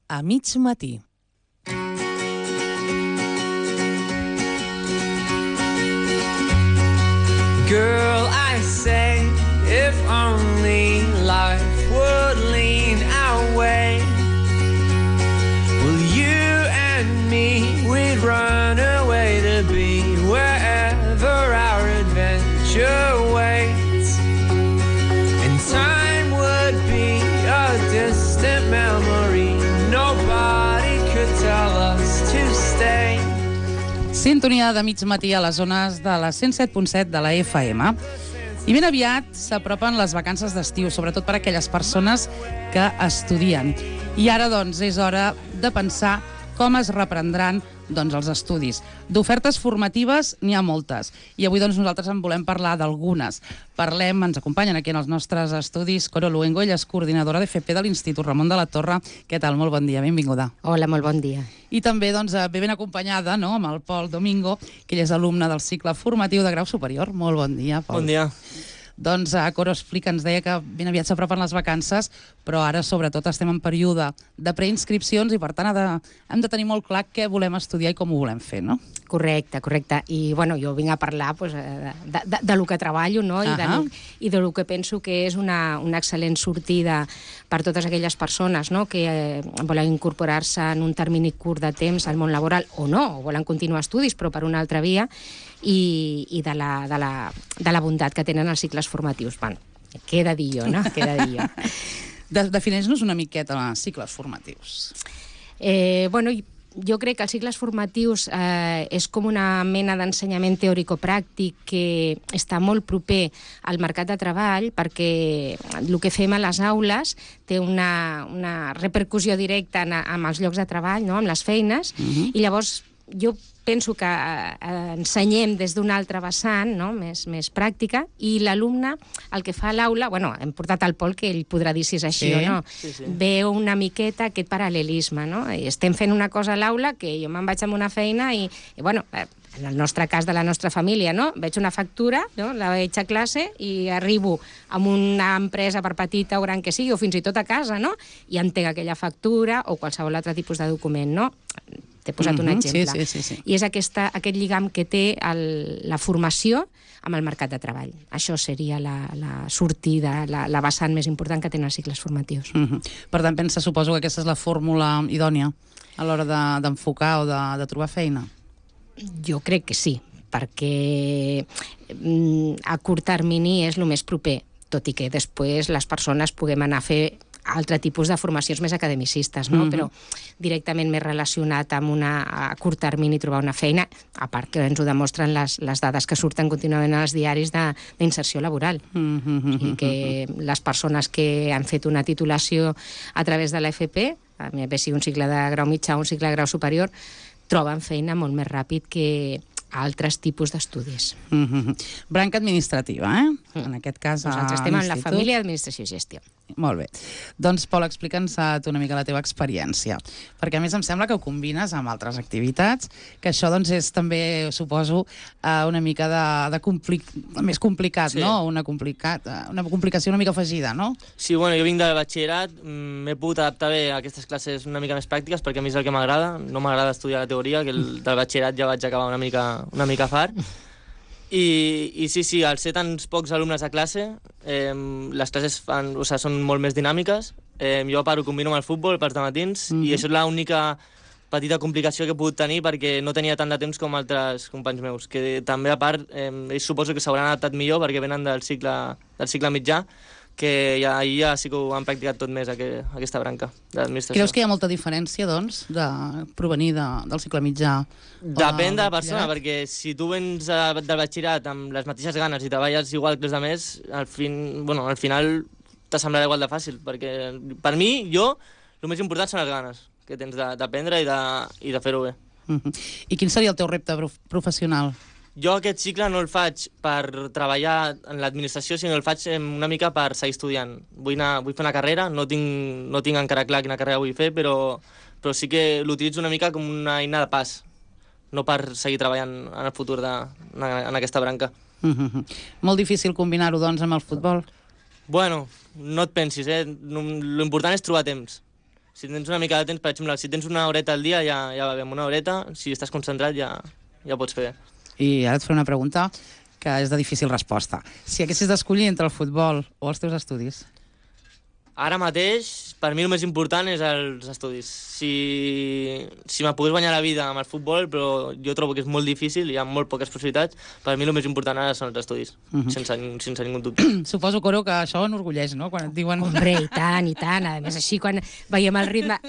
a mig matí. Girl, I say, if only life would lean our way. Well, you and me, we'd run away to be wherever our adventure waits. And time would be a distant memory. Nobody could tell us to stay. Sintonia de mig matí a les zones de la 107.7 de la FM. I ben aviat s'apropen les vacances d'estiu, sobretot per a aquelles persones que estudien. I ara, doncs, és hora de pensar com es reprendran els estudis. D'ofertes formatives n'hi ha moltes. I avui nosaltres en volem parlar d'algunes. Ens acompanyen aquí en els nostres estudis Coro Luengo, ella és coordinadora d'FP de l'Institut Ramon de la Torre. Què tal? Molt bon dia, benvinguda. Hola, molt bon dia. I també ve ben acompanyada amb el Pol Domingo, que ell és alumne del cicle formatiu de grau superior. Molt bon dia, Pol. Bon dia. Doncs Coro explica, ens deia que ben aviat s'apropen les vacances, però ara sobretot estem en període de preinscripcions i per tant hem de tenir molt clar què volem estudiar i com ho volem fer, no? Correcte. I jo vinc a parlar de lo que treballo, no? I de lo que penso que és una excel·lent sortida per totes aquelles persones, no? Que volen incorporar-se en un termini curt de temps al món laboral o no, o volen continuar estudis però per una altra via, i de la bondat que tenen els cicles formatius. Bueno, què he de dir jo, no? Defineix-nos una miqueta els cicles formatius. Jo crec que els cicles formatius és com una mena d'ensenyament teòrico-pràctic que està molt proper al mercat de treball, perquè el que fem a les aules té una repercussió directa amb els llocs de treball, no? Amb les feines, i llavors jo penso que ensenyem des d'un altre vessant, no? més pràctica, i l'alumne, el que fa a l'aula, hem portat el Pol, que ell podrà dir si és així o no, veu una miqueta aquest paral·lelisme, no? I estem fent una cosa a l'aula que jo me'n vaig amb una feina i en el nostre cas de la nostra família, no? Veig una factura, no? La veig a classe i arribo a una empresa, per petita o gran que sigui, o fins i tot a casa, no? I entenc aquella factura o qualsevol altre tipus de document, no? T'he posat un exemple. Sí. I és aquest lligam que té la formació amb el mercat de treball. Això seria la sortida, la vessant més important que tenen els cicles formatius. Per tant, suposo que aquesta és la fórmula idònia a l'hora d'enfocar o de trobar feina? Jo crec que sí, perquè a curt termini és el més proper, tot i que després les persones puguem anar a fer altre tipus de formacions més academicistes, no? Però directament més relacionat amb a curt termini trobar una feina, a part que ens ho demostren les dades que surten contínuament als diaris d'inserció laboral. I que les persones que han fet una titulació a través de l'FP, bé sigui un cicle de grau mitjà o un cicle de grau superior, troben feina molt més ràpid que altres tipus d'estudis. Branca administrativa, En aquest cas, nosaltres estem en la família d'Administració i Gestió. Molt bé. Doncs, Pol, explica'ns tu una mica la teva experiència, perquè a més em sembla que ho combines amb altres activitats, que això doncs és també, suposo, una mica més complicat, no? Una complicació una mica afegida, no? Sí, jo vinc del batxillerat, m'he pogut adaptar bé a aquestes classes una mica més pràctiques, perquè a mi és el que m'agrada, no m'agrada estudiar la teoria, que del batxillerat ja vaig acabar una mica fart. I sí, al ser tants pocs alumnes a classe, les classes són molt més dinàmiques. Jo a part ho combino amb el futbol per matins, i això és l'única petita complicació que he pogut tenir, perquè no tenia tant de temps com altres companys meus, que també a part ells suposo que s'hauran adaptat millor perquè venen del cicle mitjà, que ja sí que ho han practicat tot més, aquesta branca de l'administració. Creus que hi ha molta diferència, doncs, de provenir del cicle mitjà? Depèn de la persona, perquè si tu vens del batxillerat amb les mateixes ganes i treballes igual que els altres, al final t'assemblarà igual de fàcil, perquè per mi, el més important són les ganes que tens d'aprendre i de fer-ho bé. I quin seria el teu repte professional? Jo aquest cicle no el faig per treballar en l'administració, sinó el faig una mica per seguir estudiant. Vull fer una carrera, no tinc encara clar quina carrera vull fer, però sí que l'utilitzo una mica com una eina de pas, no per seguir treballant en el futur en aquesta branca. Molt difícil combinar-ho, doncs, amb el futbol? Bueno, no et pensis, L'important és trobar temps. Si tens una mica de temps, per exemple, si tens una horeta al dia, ja va bé, amb una horeta, si estàs concentrat ja pots fer. I ara et faré una pregunta que és de difícil resposta. Si haguessis d'escollir entre el futbol o els teus estudis? Ara mateix, per mi el més important és els estudis. Si me pogués guanyar la vida amb el futbol, però jo trobo que és molt difícil, hi ha molt poques possibilitats, per mi el més important ara són els estudis, sense ningú dubte. Suposo, Coro, que això enorgulleix, no?, quan et diuen... Hombre, i tant, i tant. A més, així, quan veiem el ritme...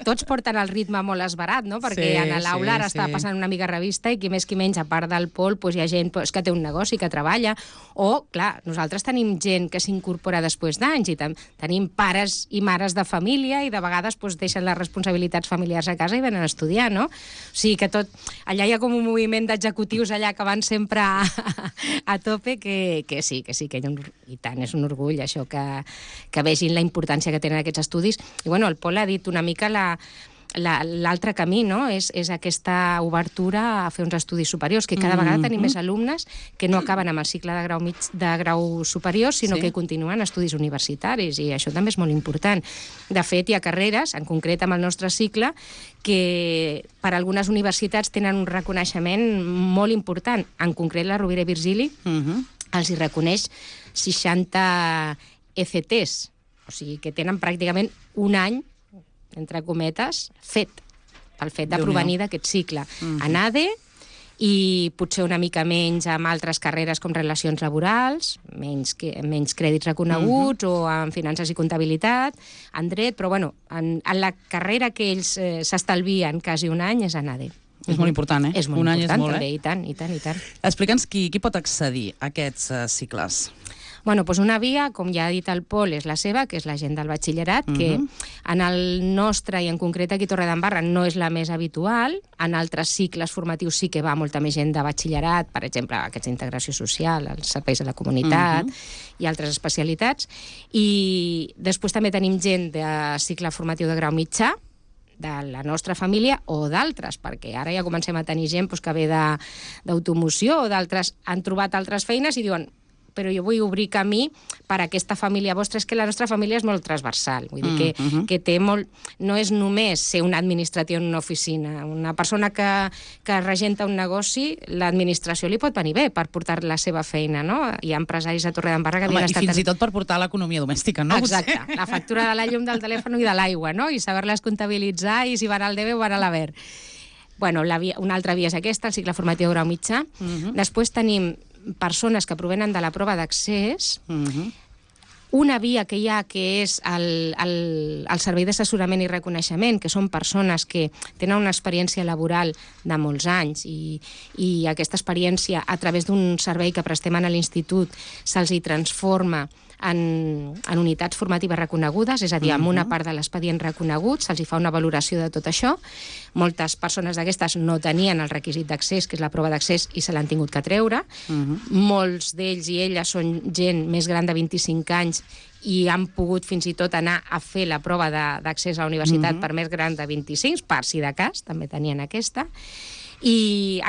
Tots porten el ritme molt esbarat, no?, perquè a l'aula ara està passant una mica revista i qui més qui menys, a part del Pol, hi ha gent que té un negoci, que treballa, o, clar, nosaltres tenim gent que s'incorpora després d'anys i tenim pares i mares de família i de vegades deixen les responsabilitats familiars a casa i venen a estudiar, no? O sigui que allà hi ha com un moviment d'executius allà que van sempre a tope, que sí, i tant, és un orgull això, que vegin la importància que tenen aquests estudis. I bueno, el Pol ha dit una mica l'altre camí, no? És aquesta obertura a fer uns estudis superiors, que cada vegada tenim més alumnes que no acaben amb el cicle de grau superior, sinó que continuen estudis universitaris, i això també és molt important. De fet, hi ha carreres, en concret amb el nostre cicle, que per algunes universitats tenen un reconeixement molt important. En concret, la Rovira i Virgili els hi reconeix 60 ECTs, o sigui que tenen pràcticament un any, entre cometes, pel fet de provenir d'aquest cicle. En ADE, i potser una mica menys amb altres carreres com relacions laborals, menys crèdits reconeguts, o en finances i comptabilitat, en dret, però bueno, en la carrera que ells s'estalvien quasi un any és en ADE. És molt important, eh? És molt important, també, i tant, i tant, i tant. Explica'ns qui pot accedir a aquests cicles. Bueno, doncs una via, com ja ha dit el Pol, és la seva, que és la gent del batxillerat, que en el nostre, i en concret aquí a Torredembarra, no és la més habitual. En altres cicles formatius sí que va molta més gent de batxillerat, per exemple, aquests d'integració social, els serveis de la comunitat i altres especialitats. I després també tenim gent de cicle formatiu de grau mitjà, de la nostra família o d'altres, perquè ara ja comencem a tenir gent que ve d'automoció o d'altres, han trobat altres feines i diuen però jo vull obrir camí per a aquesta família vostra. És que la nostra família és molt transversal, vull dir que té molt... No és només ser un administratiu en una oficina. Una persona que regenta un negoci, l'administració li pot venir bé per portar la seva feina, no? Hi ha empresaris a Torredembarra que havien estat... I fins i tot per portar l'economia domèstica, no? Exacte, la factura de la llum, del telèfon i de l'aigua, no? I saber-les comptabilitzar i si van al debe o van a l'haver. Bueno, una altra via és aquesta, el cicle formatiu de grau mitjà. Després tenim persones que provenen de la prova d'accés, una via que hi ha, que és el servei d'assessorament i reconeixement, que són persones que tenen una experiència laboral de molts anys i aquesta experiència, a través d'un servei que prestem a l'institut, se'ls hi transforma en unitats formatives reconegudes, és a dir, amb una part de l'expedient reconegut, se'ls hi fa una valoració de tot això. Moltes persones d'aquestes no tenien el requisit d'accés, que és la prova d'accés, i se l'han tingut que treure. Molts d'ells i elles són gent més gran de 25 anys i han pogut fins i tot anar a fer la prova d'accés a la universitat per més gran de 25, per si de cas, també tenien aquesta. I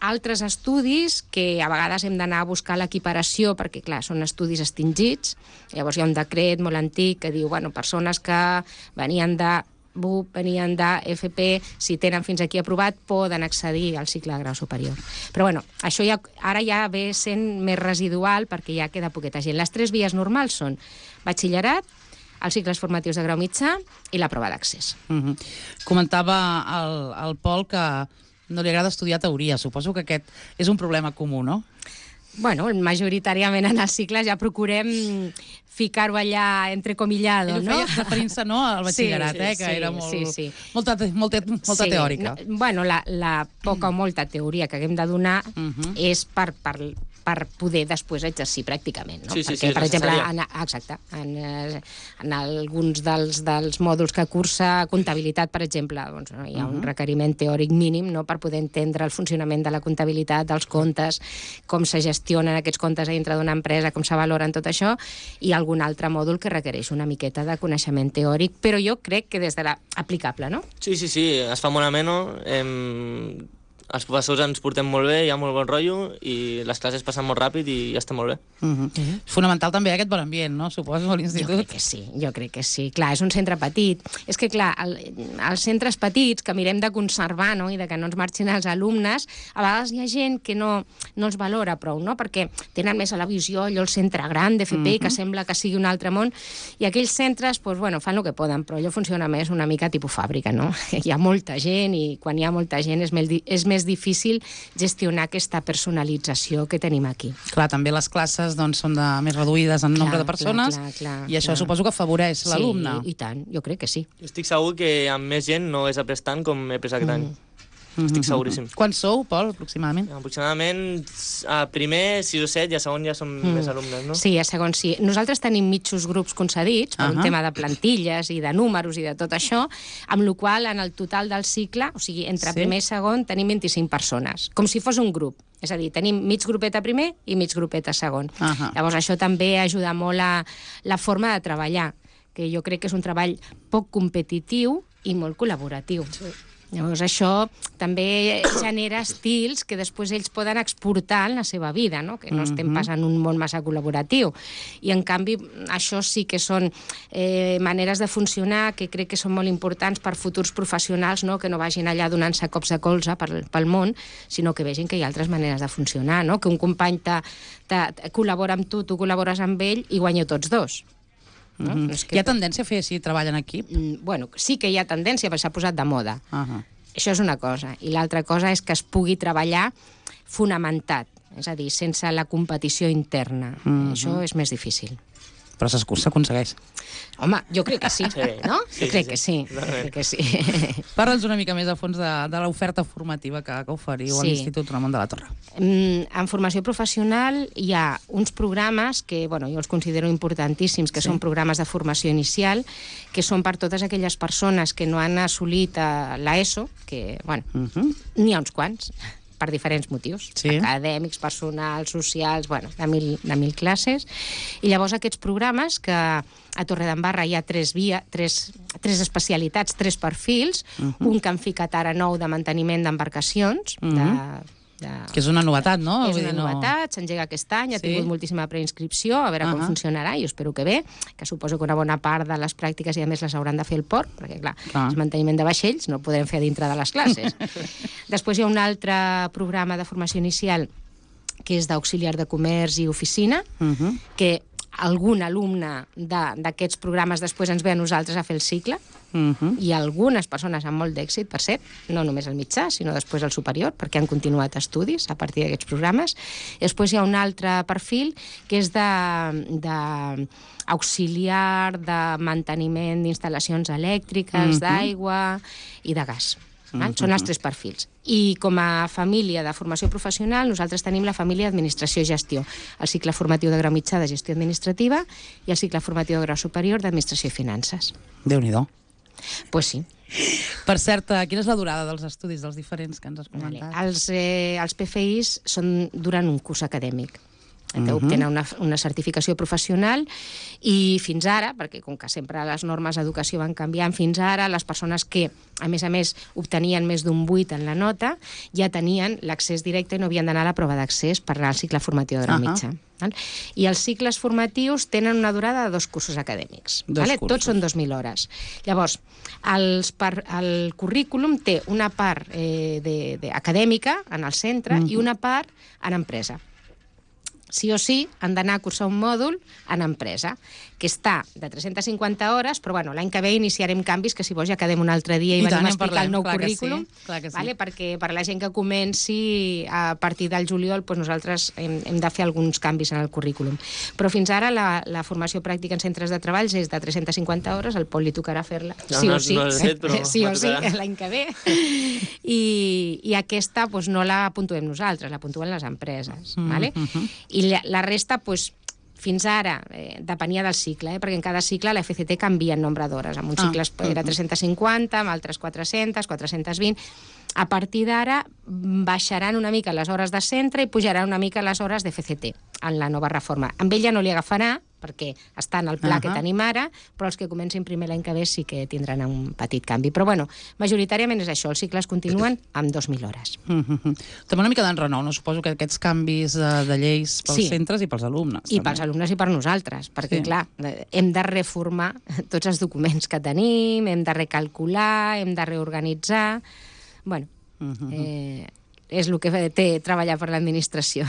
altres estudis que a vegades hem d'anar a buscar l'equiparació perquè, clar, són estudis extingits. Llavors hi ha un decret molt antic que diu, bueno, persones que venien de BUP, venien d'FP, si tenen fins aquí aprovat, poden accedir al cicle de grau superior. Però bueno, això ara ja ve sent més residual perquè ja queda poqueta gent. Les tres vies normals són batxillerat, els cicles formatius de grau mitjà i la prova d'accés. Comentava el Pol que no li agrada estudiar teoria. Suposo que aquest és un problema comú, no? Bueno, majoritàriament en els cicles ja procurem ficar-ho allà entrecomillado, no? Ell ho feia referint-se, no, al batxillerat, que era molta teòrica. Bueno, la poca o molta teoria que haguem de donar és per poder després exercir pràcticament, no? Perquè, per exemple, en alguns dels mòduls que cursa comptabilitat, per exemple, doncs, hi ha un requeriment teòric mínim, no?, per poder entendre el funcionament de la comptabilitat, dels comptes, com se gestionen aquests comptes a dintre d'una empresa, com se valoren tot això, i algun altre mòdul que requereix una miqueta de coneixement teòric, però jo crec que des de aplicable, no? Sí, es fa molt ameno. els professors ens portem molt bé, hi ha molt bon rotllo i les classes passen molt ràpid i ja està molt bé. És fonamental també aquest bon ambient, no? Suposo, a l'institut. Jo crec que sí. Clar, és un centre petit. És que, clar, els centres petits que mirem de conservar, no?, i de que no ens marxin els alumnes, a vegades hi ha gent que no els valora prou, no?, perquè tenen més a la visió allò el centre gran d'FP, que sembla que sigui un altre món, i aquells centres, doncs, bueno, fan el que poden, però allò funciona més una mica tipus fàbrica, no? Hi ha molta gent i quan hi ha molta gent és més difícil gestionar aquesta personalització que tenim aquí. Clar, també les classes doncs, són més reduïdes en nombre de persones i això suposo que afavoreix l'alumne. Sí, i tant, jo crec que sí. Jo estic segur que amb més gent no hagués après tant com he après aquest any. Estic seguríssim. Quants sou, Pol, aproximadament? Aproximadament a primer 6 o 7 i a segon ja som més alumnes, no? Sí, a segon sí. Nosaltres tenim mitjos grups concedits per un tema de plantilles i de números i de tot això, amb la qual en el total del cicle, o sigui, entre primer i segon, tenim 25 persones, com si fos un grup. És a dir, tenim mig grupet a primer i mig grupet a segon. Llavors, això també ajuda molt a la forma de treballar, que jo crec que és un treball poc competitiu i molt col·laboratiu. Llavors, això també genera estils que després ells poden exportar en la seva vida, no? Que no estem pas en un món massa col·laboratiu. I, en canvi, això sí que són maneres de funcionar que crec que són molt importants per futurs professionals, no? Que no vagin allà donant-se cops de colze pel món, sinó que vegin que hi ha altres maneres de funcionar, no? Que un company col·labora amb tu col·labores amb ell i guanyeu tots dos. No? Hi ha tendència a fer així treball en equip? Bueno, sí que hi ha tendència, però s'ha posat de moda. Això és una cosa. I l'altra cosa és que es pugui treballar fonamentat, és a dir, sense la competició interna. Això és més difícil. Però s'aconsegueix. Home, jo crec que sí, no? Jo crec que sí. Parla'ns una mica més a fons de l'oferta formativa que oferiu a l'Institut Ramon de la Torre. En formació professional hi ha uns programes que, bueno, jo els considero importantíssims, que són programes de formació inicial, que són per totes aquelles persones que no han assolit l'ESO, que, bueno, n'hi ha uns quants, per diferents motius, acadèmics, personals, socials, bueno, de mil classes. I llavors aquests programes, que a Torredembarra hi ha tres especialitats, 3 perfils, un que han ficat ara nou de manteniment d'embarcacions, que és una novetat, no? És una novetat, s'engega aquest any, ha tingut moltíssima preinscripció, a veure com funcionarà, i espero que bé, que suposo que una bona part de les pràctiques i a més les hauran de fer al port, perquè clar, el manteniment de vaixells no el podrem fer dintre de les classes. Després hi ha un altre programa de formació inicial que és d'auxiliar de comerç i oficina, que algun alumne d'aquests programes després ens ve a nosaltres a fer el cicle, i algunes persones amb molt d'èxit, per cert, no només al mitjà, sinó després al superior, perquè han continuat estudis a partir d'aquests programes. Després hi ha un altre perfil que és d'auxiliar de manteniment d'instal·lacions elèctriques, d'aigua i de gas. Són els 3 perfils. I com a família de formació professional, nosaltres tenim la família d'administració i gestió, el cicle formatiu de grau mitjà de gestió administrativa i el cicle formatiu de grau superior d'administració i finances. Déu-n'hi-do. Pues sí. Per cert, quina és la durada dels estudis dels diferents que ens has comentat? Els PFIs duren un curs acadèmic. Obtenen una certificació professional i fins ara, perquè com que sempre les normes d'educació van canviant, fins ara les persones que, a més, obtenien més d'un 8 en la nota, ja tenien l'accés directe i no havien d'anar a la prova d'accés per anar al cicle formatiu de grau mitjà. I els cicles formatius tenen una durada de 2 cursos acadèmics. Tots són 2.000 hores. Llavors, el currículum té una part acadèmica en el centre i una part en empresa. Sí o sí han d'anar a cursar un mòdul en empresa, que està de 350 hores, però bueno, l'any que ve iniciarem canvis que si vols ja quedem un altre dia i venim a explicar el nou currículum, perquè per a la gent que comenci a partir del juliol nosaltres hem de fer alguns canvis en el currículum. Però fins ara la formació pràctica en centres de treball és de 350 hores, al Pol li tocarà fer-la sí o sí, l'any que ve, i aquesta no la puntuem nosaltres, la puntuen les empreses. I la resta, fins ara, depenia del cicle, perquè en cada cicle la FCT canvia el nombre d'hores. En un cicle era 350, en altres 400, 420... A partir d'ara baixaran una mica les hores de centre i pujaran una mica les hores de FCT en la nova reforma. Amb ell ja no li agafarà, perquè està en el pla que tenim ara, però els que comencin primer l'any que ve sí que tindran un petit canvi. Però bueno, majoritàriament és això, els cicles continuen amb 2.000 hores. També una mica d'enrenou, no? Suposo que aquests canvis de lleis pels centres i pels alumnes. I pels alumnes i per nosaltres, perquè clar, hem de reformar tots els documents que tenim, hem de recalcular, hem de reorganitzar... Bueno, és el que té treballar per l'administració.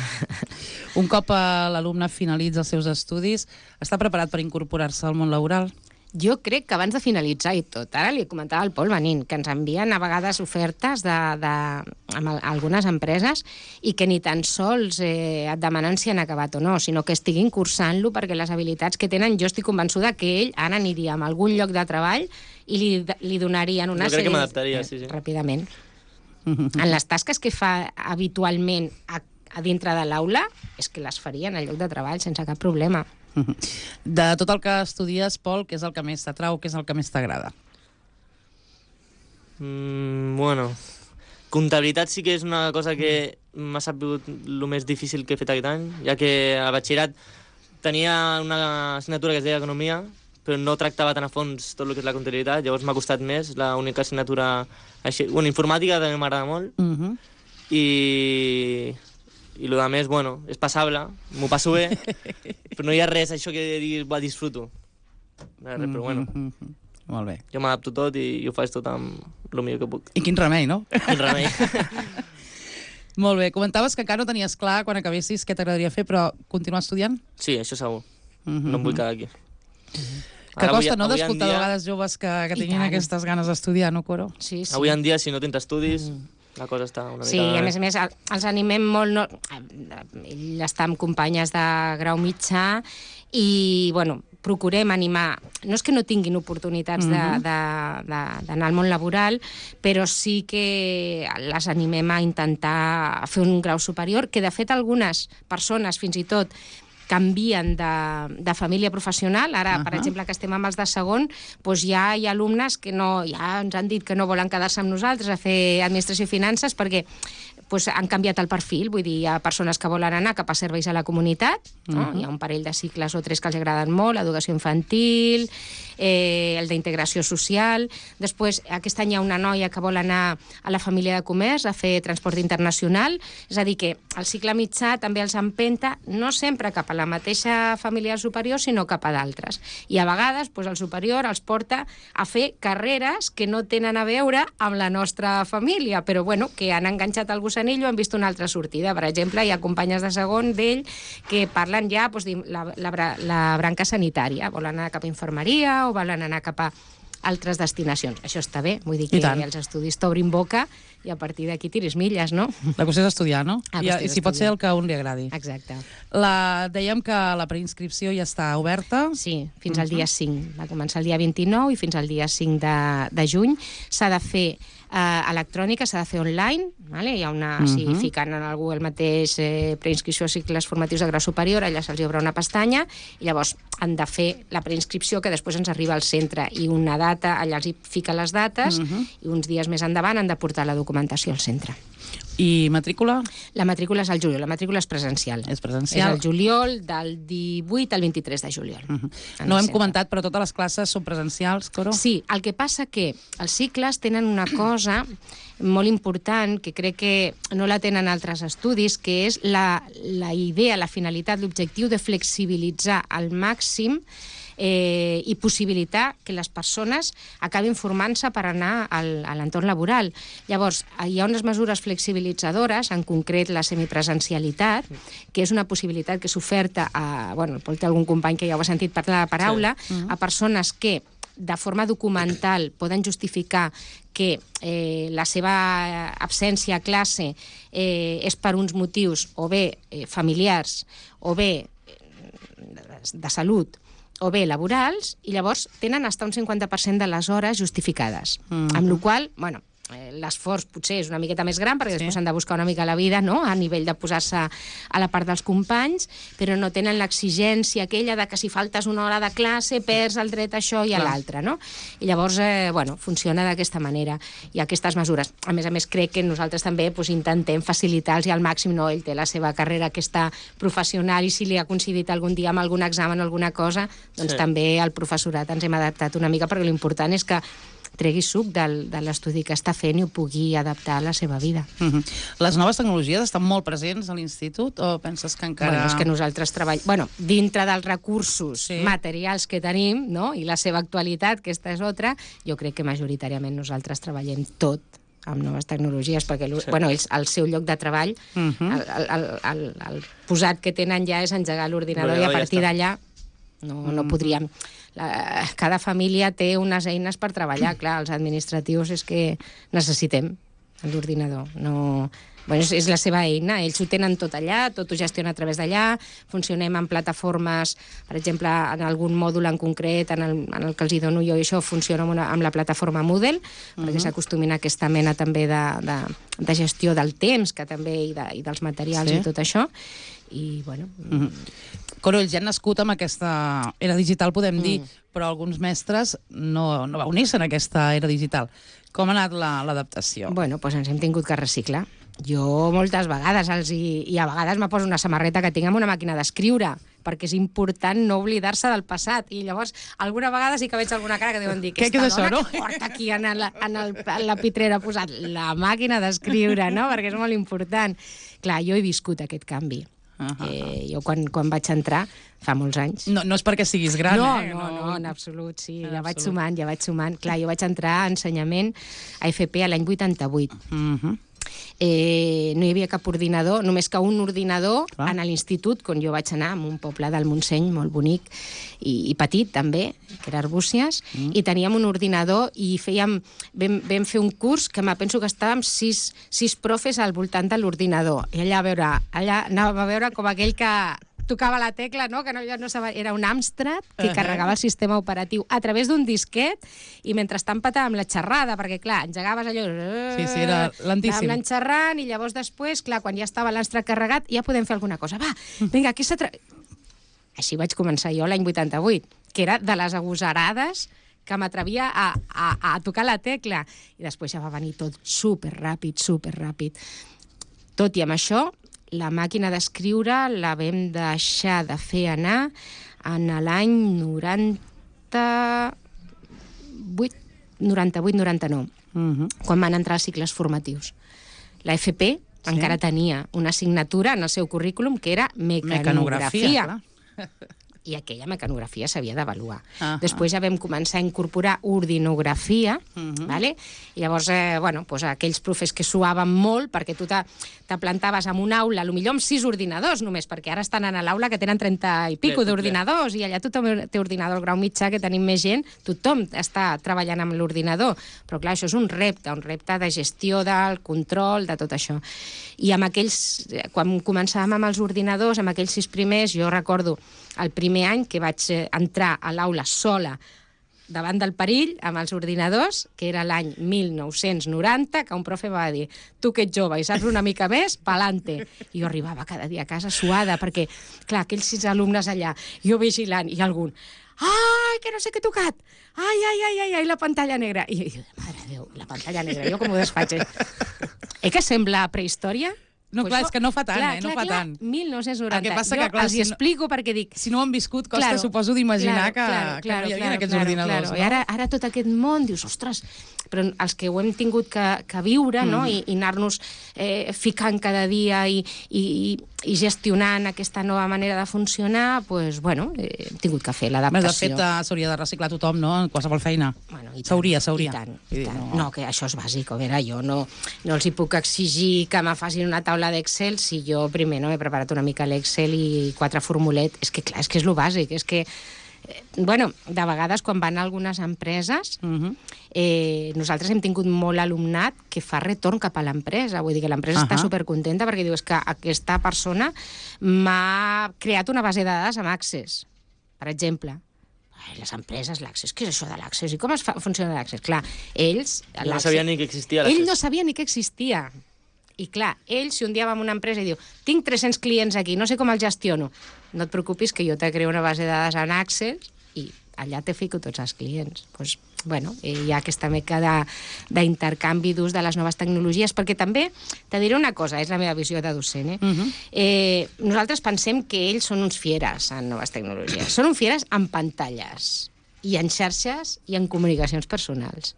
Un cop l'alumne finalitza els seus estudis, està preparat per incorporar-se al món laboral? Jo crec que abans de finalitzar i tot, ara li comentava al Pol venint, que ens envien a vegades ofertes amb algunes empreses i que ni tan sols et demanen si han acabat o no, sinó que estiguin cursant-lo perquè les habilitats que tenen, jo estic convençuda que ell ara aniria a algun lloc de treball i li donarien una sèrie... Jo crec que m'adaptaria, sí. Ràpidament. En les tasques que fa habitualment a dintre de l'aula, és que les faria en el lloc de treball sense cap problema. De tot el que estudies, Pol, què és el que més t'atrau, què és el que més t'agrada? Bueno, comptabilitat sí que és una cosa que m'ha sabut el més difícil que he fet aquest any, ja que al batxillerat tenia una assignatura que es deia Economia, però no tractava tan a fons tot el que és la comptabilitat, llavors m'ha costat més, l'única assignatura... Bueno, informàtica també m'agrada molt, i el que més, bueno, és passable, m'ho passo bé, però no hi ha res, això que dir, disfruto. No hi ha res, però bueno. Molt bé. Jo m'adapto tot i ho faig tot amb el millor que puc. I quin remei, no? Quin remei. Molt bé. Comentaves que encara no tenies clar quan acabessis què t'agradaria fer, però continuar estudiant? Sí, això segur. No em vull quedar aquí. Que costa, no?, d'escoltar de vegades joves que tinguin aquestes ganes d'estudiar, no, Coro? Sí. Avui en dia, si no tens estudis... La cosa està una mica... Sí, i a més, els animem molt... No... Ell està amb companyes de grau mitjà i, bueno, procurem animar... No és que no tinguin oportunitats d'anar al món laboral, però sí que les animem a intentar fer un grau superior, que de fet algunes persones, fins i tot, canvien de família professional. Ara, per exemple, que estem amb els de segon, doncs ja hi ha alumnes que ja ens han dit que no volen quedar-se amb nosaltres a fer administració i finances perquè han canviat el perfil. Vull dir, hi ha persones que volen anar cap a serveis a la comunitat, no? Hi ha un parell de cicles o 3 que els agraden molt, l'educació infantil, el d'integració social. Després, aquest any hi ha una noia que vol anar a la família de comerç a fer transport internacional, és a dir, que el cicle mitjà també els empenta no sempre cap a la mateixa família superior, sinó cap a d'altres. I a vegades el superior els porta a fer carreres que no tenen a veure amb la nostra família, però bueno, que han enganxat el gusanillo, han vist una altra sortida. Per exemple, hi ha companyes de segon d'ell que parlen ja la branca sanitària, volen anar cap a infermeria o volen anar cap a altres destinacions. Això està bé, vull dir que els estudis t'obrin boca i a partir d'aquí tiris milles, no? La qüestió és estudiar, no? I si pot ser el que a un li agradi. Exacte. Dèiem que la preinscripció ja està oberta. Sí, fins al dia 5. Va començar el dia 29 i fins al dia 5 de juny. S'ha de fer electrònica, s'ha de fer online, vale? Hi ha si fiquen en algú el mateix preinscripció a cicles formatius de grau superior, allà se'ls obre una pestanya i llavors han de fer la preinscripció que després ens arriba al centre i una data, allà els hi fica les dates i uns dies més endavant han de portar la documentació al centre. I matrícula? La matrícula és al juliol, la matrícula és presencial. És presencial. És al juliol, del 18 al 23 de juliol. No ho hem comentat, però totes les classes són presencials, Coro? Sí, el que passa que els cicles tenen una cosa molt important, que crec que no la tenen altres estudis, que és la idea, la finalitat, l'objectiu de flexibilitzar al màxim i possibilitar que les persones acabin formant-se per anar a l'entorn laboral. Llavors, hi ha unes mesures flexibilitzadores, en concret la semipresencialitat, que és una possibilitat que s'oferta pot ter algun company que ja ho ha sentit parlar de paraula, a persones que de forma documental poden justificar que la seva absència a classe és per uns motius o bé familiars o bé de salut o bé laborals, i llavors tenen fins un 50% de les hores justificades. Amb la qual cosa, l'esforç potser és una miqueta més gran, perquè després s'han de buscar una mica la vida, no?, a nivell de posar-se a la part dels companys, però no tenen l'exigència aquella de que si faltes una hora de classe perds el dret a això i a l'altre, no? I llavors, funciona d'aquesta manera. I aquestes mesures. A més, crec que nosaltres també intentem facilitar-los al màxim, no? Ell té la seva carrera aquesta professional i si li ha coincidit algun dia amb algun examen o alguna cosa, doncs també el professorat ens hem adaptat una mica, perquè l'important és que tregui suc de l'estudi que està fent i ho pugui adaptar a la seva vida. Les noves tecnologies estan molt presents a l'institut o penses que encara... És que nosaltres treballem... dintre dels recursos materials que tenim, no?, i la seva actualitat, que aquesta és altra, jo crec que majoritàriament nosaltres treballem tot amb noves tecnologies, perquè el seu lloc de treball, el posat que tenen ja és engegar l'ordinador i a partir d'allà no podríem... Cada família té unes eines per treballar, clar, els administratius és que necessitem l'ordinador, és la seva eina, ells ho tenen tot allà, tot ho gestiona a través d'allà, funcionem en plataformes, per exemple, en algun mòdul en concret, en el que els hi dono jo, i això funciona amb la plataforma Moodle, perquè s'acostumin a aquesta mena també de gestió del temps, que també, i dels materials i tot això, i bueno... Coro, ja han nascut amb aquesta era digital, podem dir, però alguns mestres no va unir-se en aquesta era digital. Com ha anat l'adaptació? Bueno, doncs ens hem tingut que reciclar. Jo moltes vegades i a vegades me poso una samarreta que tinc amb una màquina d'escriure, perquè és important no oblidar-se del passat. I llavors, alguna vegada sí que veig alguna cara que deuen dir què és això, no? Que porta aquí en la pitrera posat la màquina d'escriure, no? Perquè és molt important. Clar, jo he viscut aquest canvi. Jo quan vaig entrar, fa molts anys... No és perquè siguis gran, No, en absolut, sí. Ja vaig sumant. Clar, jo vaig entrar a ensenyament a FP l'any 88. No hi havia cap ordinador, només que un ordinador en l'institut, quan jo vaig anar, en un poble del Montseny molt bonic i petit també, que era Arbúcies, i teníem un ordinador i vam fer un curs que penso que estàvem 6 profes al voltant de l'ordinador. I allà anàvem a veure com aquell que tocava la tecla, no? Que no sabia, era un Amstrad que carregava el sistema operatiu a través d'un disquet i mentrestant patàvem la xerrada, perquè clar, engegaves allò... Sí, era lentíssim. Anàvem xerrant i llavors després, clar, quan ja estava l'Amstrad carregat, ja podem fer alguna cosa. Va, vinga, aquí Així vaig començar jo l'any 88, que era de les agosarades que m'atrevia a tocar la tecla. I després ja va venir tot superràpid. Tot i amb això, la màquina d'escriure la vam deixar de fer anar en l'any 98-99, quan van entrar els cicles formatius. La FP encara tenia una assignatura en el seu currículum que era mecanografia. I aquella mecanografia s'havia d'avaluar. Després ja vam començar a incorporar ordinografia, i llavors, aquells profes que suaven molt, perquè tu te plantaves en una aula, potser amb 6 ordinadors només, perquè ara estan a l'aula que tenen 30 i pico d'ordinadors, i allà tothom té ordinador, el grau mitjà, que tenim més gent, tothom està treballant amb l'ordinador. Però clar, això és un repte de gestió del control, de tot això. I amb aquells, quan començàvem amb els ordinadors, amb aquells 6 primers, jo recordo el primer any que vaig entrar a l'aula sola davant del perill amb els ordinadors, que era l'any 1990, que un profe va dir: tu que ets jove i saps una mica més, pa'lante. I jo arribava cada dia a casa suada, perquè, clar, aquells 6 alumnes allà, jo vigilant, i algun: ai, que no sé què he tocat! Ai, la pantalla negra. I jo, mare de Déu, la pantalla negra, jo com ho desfaig? Que sembla prehistòria? No, clar, és que no fa tant, no fa tant. 1990. El que passa que, clar, els explico perquè dic... Si no ho han viscut, costa, suposo, d'imaginar que no hi havia aquests ordinadors. I ara tot aquest món, dius, ostres, però els que ho hem tingut que viure, no? I anar-nos ficant cada dia i gestionant aquesta nova manera de funcionar, doncs, bueno, hem tingut que fer l'adaptació. De fet, s'hauria de reciclar tothom, no?, en qualsevol feina. S'hauria. I tant. No, que això és bàsic. A veure, jo no els hi puc exigir que me facin una taula d'Excel si jo primer no he preparat una mica l'Excel i 4 formulets. És que, clar, és que és lo bàsic. És que, de vegades, quan van a algunes empreses, nosaltres hem tingut molt alumnat que fa retorn cap a l'empresa. Vull dir que l'empresa està supercontenta perquè diu que aquesta persona m'ha creat una base de dades amb Access, per exemple. Les empreses, l'Access, què és això de l'Access? I com funciona l'Access? Clar, ells... No sabia ni que existia l'Access. Ell no sabia ni que existia. I clar, ell, si un dia va a una empresa i diu tinc 300 clients aquí, no sé com els gestiono, no et preocupis que jo te creo una base de dades en Access i allà te fico tots els clients. Doncs, bueno, hi ha aquesta mica d'intercanvi d'ús de les noves tecnologies, perquè també, te diré una cosa, és la meva visió de docent, nosaltres pensem que ells són uns fieres en noves tecnologies. Són uns fieres en pantalles, i en xarxes, i en comunicacions personals.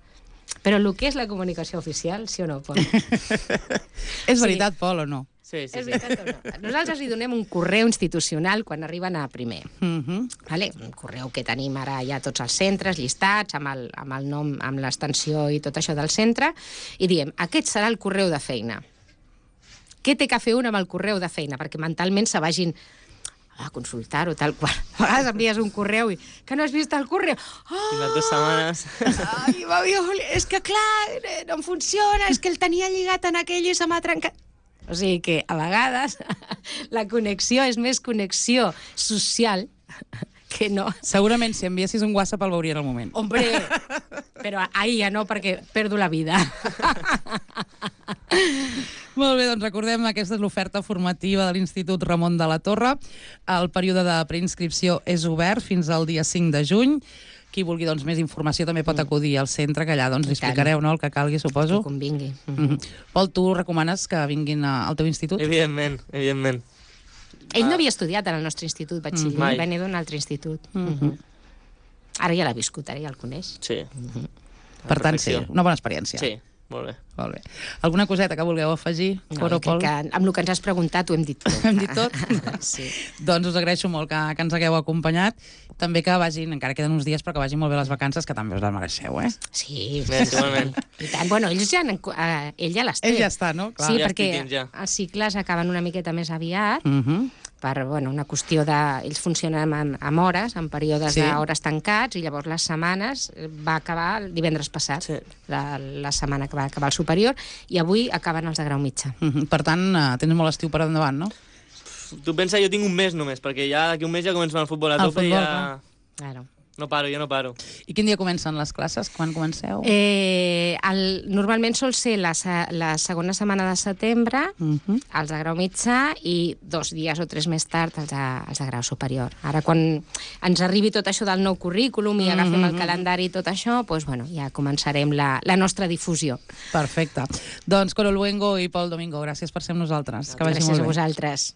Però el que és la comunicació oficial, sí o no, Pol? És veritat, Pol, o no? Sí. És veritat o no? Nosaltres li donem un correu institucional quan arriben a primer. Vale? Un correu que tenim ara ja tots els centres llistats, amb el nom, amb l'extensió i tot això del centre, i diem, aquest serà el correu de feina. Què té que fer un amb el correu de feina? Perquè mentalment se vagin a consultar-ho, tal qual. A vegades envies un correu i que no has vist el correu. Fins a 2 setmanes. Ai, és que clar, no em funciona, és que el tenia lligat en aquell i se m'ha trencat. O sigui que, a vegades, la connexió és més connexió social que no. Segurament, si enviessis un WhatsApp el veuria en el moment. Hombre, però ahir ja no, perquè perdo la vida. Molt bé, doncs recordem que aquesta és l'oferta formativa de l'Institut Ramon de la Torre. El període de preinscripció és obert fins al dia 5 de juny. Qui vulgui doncs, més informació també pot acudir al centre, que allà doncs, li explicareu, no?, el que calgui, suposo. Que convingui. Pol, tu recomanes que vinguin al teu institut? Evidentment. Ell no havia estudiat en el nostre institut, batxiller, venia d'un altre institut. Ara ja l'ha viscut, ara ja el coneix. Sí. Per tant, sí, una bona experiència. Sí, molt bé. Alguna coseta que vulgueu afegir? No, crec que amb el que ens has preguntat ho hem dit tot. Hem dit tot? Sí. Doncs us agraeixo molt que ens hagueu acompanyat. També que vagin, encara queden uns dies, però que vagin molt bé les vacances, que també us les mereixeu, eh? Sí. Igualment. I tant. Bueno, ell ja les té. Ell ja està, no? Clar. Sí, Ja perquè estic dins, ja. els cicles acaben una miqueta més aviat, per una qüestió de... Ells funcionen amb hores, en períodes d'hores tancats, i llavors les setmanes va acabar el divendres passat, la setmana que va acabar el superior, i avui acaben els de grau mitjà. Per tant, tens molt estiu per endavant, no? Tu pensa, jo tinc un mes només, perquè ja d'aquí un mes ja comencem el futbol a tope i ja... Claro. No paro. I quin dia comencen les classes? Quan comenceu? Normalment sol ser la segona setmana de setembre, els de grau mitjà, i 2 dies o 3 més tard els de grau superior. Ara, quan ens arribi tot això del nou currículum i agafem el calendari i tot això, doncs, bueno, ja començarem la nostra difusió. Perfecte. Doncs Coro Luengo i Pol Domingo, gràcies per ser amb nosaltres. Que vagi molt bé. Gràcies a vosaltres.